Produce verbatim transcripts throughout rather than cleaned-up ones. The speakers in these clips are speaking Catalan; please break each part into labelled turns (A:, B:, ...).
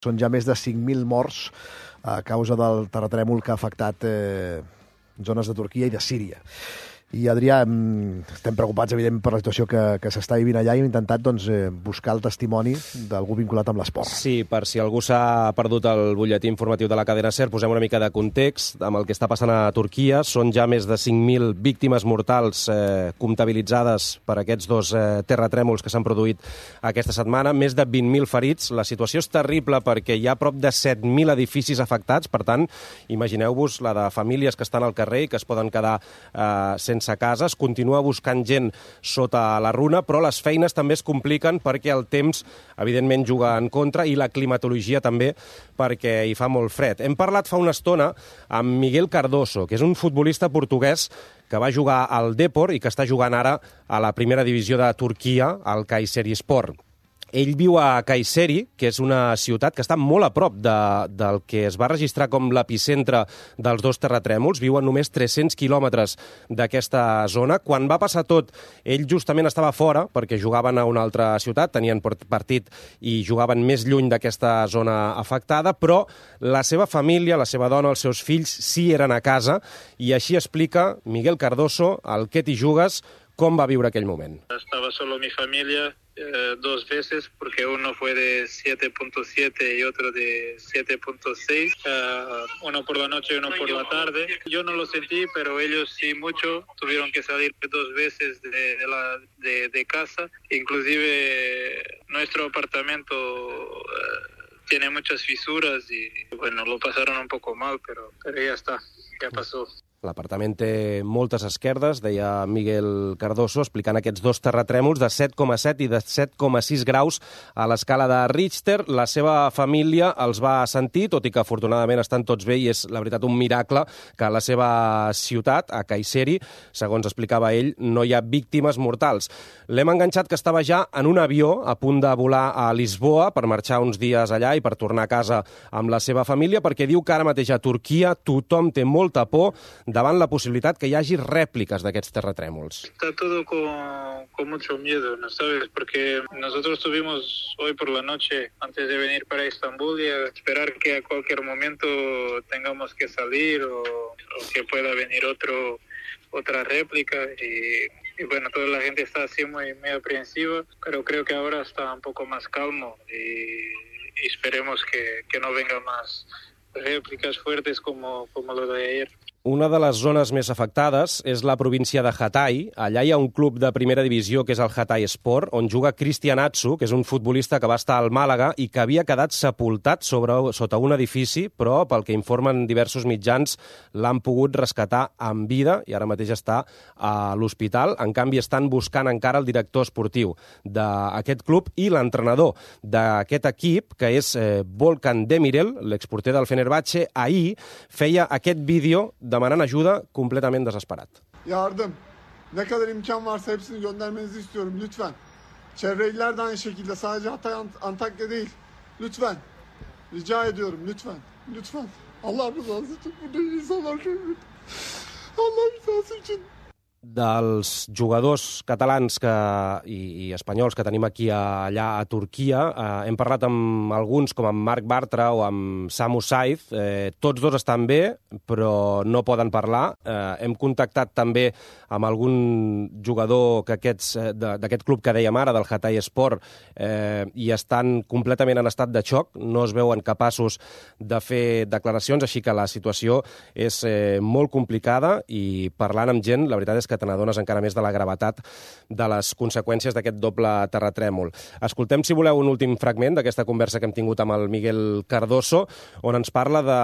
A: Són ja més de cinc mil morts a causa del terratrèmol que ha afectat eh, zones de Turquia i de Síria. I, Adrià, estem preocupats, evident, per la situació que, que s'està vivint allà i hem intentat doncs, eh, buscar el testimoni d'algú vinculat amb l'esport.
B: Sí, per si algú s'ha perdut el butlletí informatiu de la cadena SER, posem una mica de context amb el que està passant a Turquia. Són ja més de cinc mil víctimes mortals eh, comptabilitzades per aquests dos eh, terratrèmols que s'han produït aquesta setmana, més de vint mil ferits. La situació és terrible perquè hi ha prop de set mil edificis afectats, per tant, imagineu-vos la de famílies que estan al carrer i que es poden quedar eh, sense sense casa. Es continua buscant gent sota la runa, però les feines també es compliquen perquè el temps, evidentment, juga en contra i la climatologia també, perquè hi fa molt fred. Hem parlat fa una estona amb Miguel Cardoso, que és un futbolista portuguès que va jugar al Depor i que està jugant ara a la primera divisió de Turquia, al Kayserispor. Ell viu a Kayseri, que és una ciutat que està molt a prop de, del que es va registrar com l'epicentre dels dos terratrèmols. Viu a només tres-cents quilòmetres d'aquesta zona. Quan va passar tot, ell justament estava fora, perquè jugaven a una altra ciutat, tenien partit i jugaven més lluny d'aquesta zona afectada, però la seva família, la seva dona, els seus fills, sí eren a casa, i així explica Miguel Cardoso, al Que t'hi jugues, com va viure aquell moment.
C: Estaba solo mi familia eh, dos veces, porque uno fue de siete punto siete y otro de siete punto seis, uh, uno por la noche y uno por la tarde. Yo no lo sentí, pero ellos sí mucho, tuvieron que salir dos veces de, de, la, de, de casa. Inclusive nuestro apartamento uh, tiene muchas fisuras y bueno, lo pasaron un poco mal, pero, pero ya está, ya pasó.
B: L'apartament té moltes esquerdes, deia Miguel Cardoso, explicant aquests dos terratrèmols de set coma set i de set coma sis graus a l'escala de Richter. La seva família els va sentir, tot i que afortunadament estan tots bé, i és, la veritat, un miracle que a la seva ciutat, a Kayseri, segons explicava ell, no hi ha víctimes mortals. L'hem enganxat que estava ja en un avió a punt de volar a Lisboa per marxar uns dies allà i per tornar a casa amb la seva família, perquè diu que ara mateix a Turquia tothom té molta por davant la possibilitat que hi hagi rèpliques d'aquests terratrèmols.
C: Está todo con, con mucho miedo, ¿no sabes? Porque nosotros tuvimos hoy por la noche, antes de venir para Estambul, y a esperar que a cualquier momento tengamos que salir o, o que pueda venir otro, otra réplica. Y, y bueno, toda la gente está así muy, muy aprensiva, pero creo que ahora está un poco más calmo y, y esperemos que, que no venga más réplicas fuertes como, como lo de ayer.
B: Una de les zones més afectades és la província de Hatay. Allà hi ha un club de primera divisió, que és el Hatay Sport, on juga Cristian Atsu, que és un futbolista que va estar al Màlaga i que havia quedat sepultat sobre, sota un edifici, però, pel que informen diversos mitjans, l'han pogut rescatar en vida i ara mateix està a l'hospital. En canvi, estan buscant encara el director esportiu d'aquest club i l'entrenador d'aquest equip, que és eh, Volkan Demirel, l'exporter del Fenerbahçe. Ahir feia aquest vídeo demanant ajuda completament desesperat.
D: Yardım. Ne kadar imkan varsa hepsini göndermenizi istiyorum lütfen. Çevre iller de aynı şekilde, sadece Hatay, Antakya değil. Lütfen. Rica ediyorum lütfen. Lütfen. Allah rızası için burada insanlar görür. Allah rızası için.
B: Dels jugadors catalans que, i, i espanyols que tenim aquí a, allà a Turquia, eh, hem parlat amb alguns com amb Marc Bartra o amb Samu Saiz. Eh, tots dos estan bé, però no poden parlar. Eh, hem contactat també amb algun jugador que aquests, eh, d'aquest club que dèiem ara, del Hatay Sport, eh, i estan completament en estat de xoc, no es veuen capaços de fer declaracions, així que la situació és eh, molt complicada, i parlant amb gent, la veritat és que te n'adones encara més de la gravetat de les conseqüències d'aquest doble terratrèmol. Escoltem, si voleu, un últim fragment d'aquesta conversa que hem tingut amb el Miguel Cardoso, on ens parla de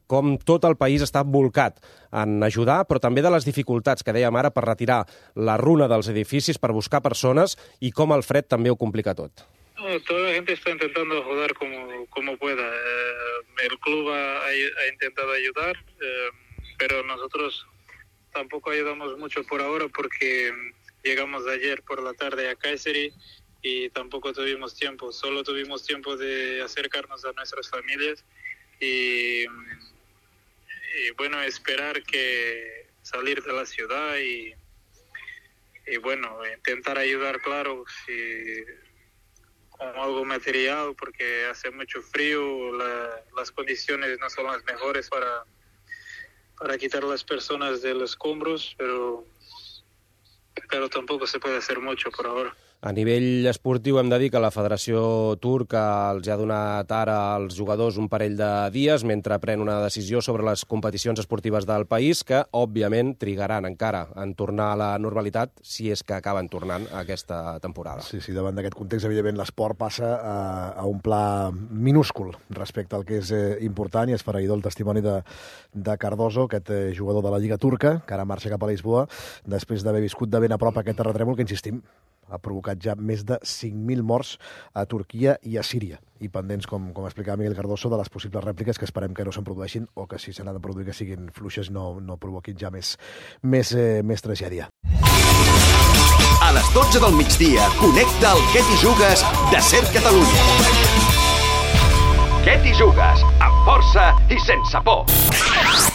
B: com tot el país està volcat en ajudar, però també de les dificultats que dèiem ara per retirar la runa dels edificis, per buscar persones, i com el fred també ho complica tot.
C: No, toda la gente está intentando ayudar como, como pueda. Eh, el club ha, ha intentado ayudar, eh, pero nosotros tampoco ayudamos mucho por ahora porque llegamos ayer por la tarde a Kayseri y tampoco tuvimos tiempo. Solo tuvimos tiempo de acercarnos a nuestras familias y, y bueno, esperar que salir de la ciudad y, y bueno, intentar ayudar, claro, si, con algo material porque hace mucho frío, la, las condiciones no son las mejores para, para quitar a las personas de los escombros, pero, pero tampoco se puede hacer mucho por ahora.
B: A nivell esportiu hem de dir que la Federació Turca els ha donat ara als jugadors un parell de dies mentre pren una decisió sobre les competicions esportives del país que, òbviament, trigaran encara en tornar a la normalitat si és que acaben tornant aquesta temporada.
A: Sí, sí, davant d'aquest context, evidentment, l'esport passa a, a un pla minúscul respecte al que és eh, important i esfereïdor el testimoni de, de Cardoso, aquest eh, jugador de la Lliga Turca, que ara marxa cap a Lisboa, després d'haver viscut de ben a prop aquest terratrèmol que, insistim, ha provocat ja més de cinc mil morts a Turquia i a Síria. I pendents, com, com explicava Miguel Cardoso, de les possibles rèpliques que esperem que no se'n produeixin o que si se n'han de produir que siguin fluixes no, no provoquin ja més, més, eh, més tragèdia.
E: A les dotze del migdia, connecta el Què t'hi jugues de Ser Catalunya. Què t'hi jugues? Amb força i sense por.